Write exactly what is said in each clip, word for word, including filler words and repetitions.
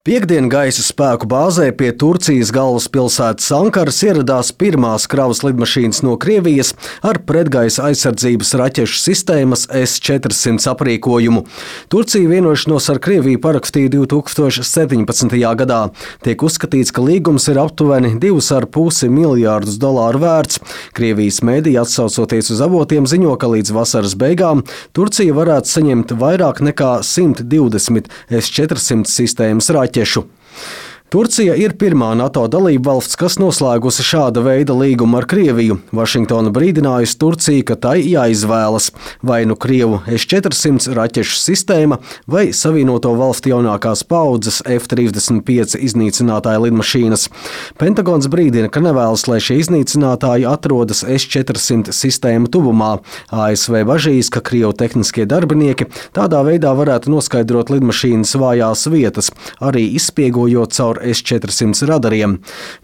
Piektdien gaisa spēku bāzē pie Turcijas galvaspilsētas Ankaras ieradās pirmās kravas lidmašīnas no Krievijas ar pretgaisa aizsardzības raķešu sistēmas S četrsimt aprīkojumu. Turcija vienošanos ar Krieviju parakstīja divi tūkstoši septiņpadsmitajā gadā. Tiek uzskatīts, ka līgums ir aptuveni divus ar pusi miljārdus dolāru vērts. Krievijas mēdīji, atsaucoties uz avotiem, ziņo, ka līdz vasaras beigām Turcija varētu saņemt vairāk nekā simt divdesmit S četrsimt sistēmas raķešu. Turcija ir pirmā NATO dalībvalsts, kas noslēgusi šāda veida līgumu ar Krieviju. Vašingtona brīdinājusi Turciju, ka tai jāizvēlas vai nu Krievu S četrsimt raķešu sistēma vai Savienoto valstu jaunākās paaudzes F trīsdesmit pieci iznīcinātāja lidmašīnas. Pentagons brīdina, ka nevēlas, lai šie iznīcinātāji atrodas S četrsimt sistēmu tuvumā. A S V bažīs, ka Krievu tehniskie darbinieki tādā veidā varētu noskaidrot lidmašīnas vājās vietas, arī izspiegojot caur S četrsimt radariem.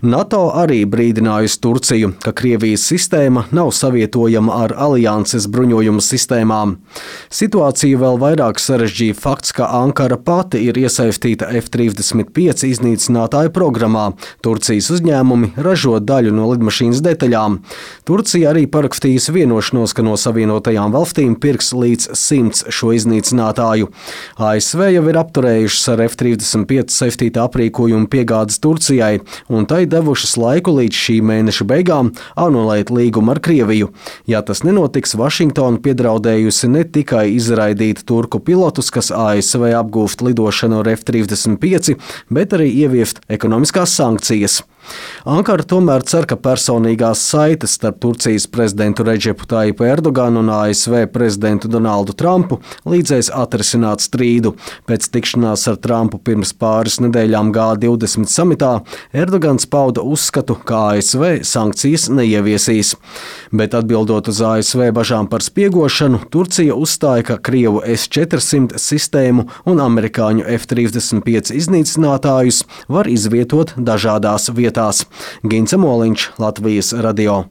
NATO arī brīdinājusi Turciju, ka Krievijas sistēma nav savietojama ar alianses bruņojumu sistēmām. Situāciju vēl vairāk sarežģīja fakts, ka Ankara pati ir iesaistīta F trīsdesmit pieci iznīcinātāju programmā. Turcijas uzņēmumi ražo daļu no lidmašīnas detaļām. Turcija arī parakstījusi vienošanos, ka no Savienotajām valstīm pirks līdz simts šo iznīcinātāju. A S V jau ir apturējušas ar F trīsdesmit pieci saistīta aprīkojumu piegādes Turcijai, un tai devušas laiku līdz šī mēneša beigām anulēt līgumu ar Krieviju. Ja tas nenotiks, Vašingtona piedraudējusi ne tikai izraidīt turku pilotus, kas A S V apgūst lidošanu ar F trīsdesmit pieci, bet arī ieviest ekonomiskās sankcijas. Ankara tomēr cer, ka personīgās saites starp Turcijas prezidentu Redžepu Tajipu Erdoganu un A S V prezidentu Donaldu Trumpu līdzēs atrisināt strīdu. Pēc tikšanās ar Trumpu pirms pāris nedēļām G divdesmit samitā Erdogans pauda uzskatu, ka A S V sankcijas neieviesīs. Bet atbildot uz A S V bažām par spiegošanu, Turcija uzstāja, ka Krievu S četrsimt sistēmu un amerikāņu F trīsdesmit pieci iznīcinātājus var izvietot dažādās vietās. Gints Moliņš, Latvijas radio.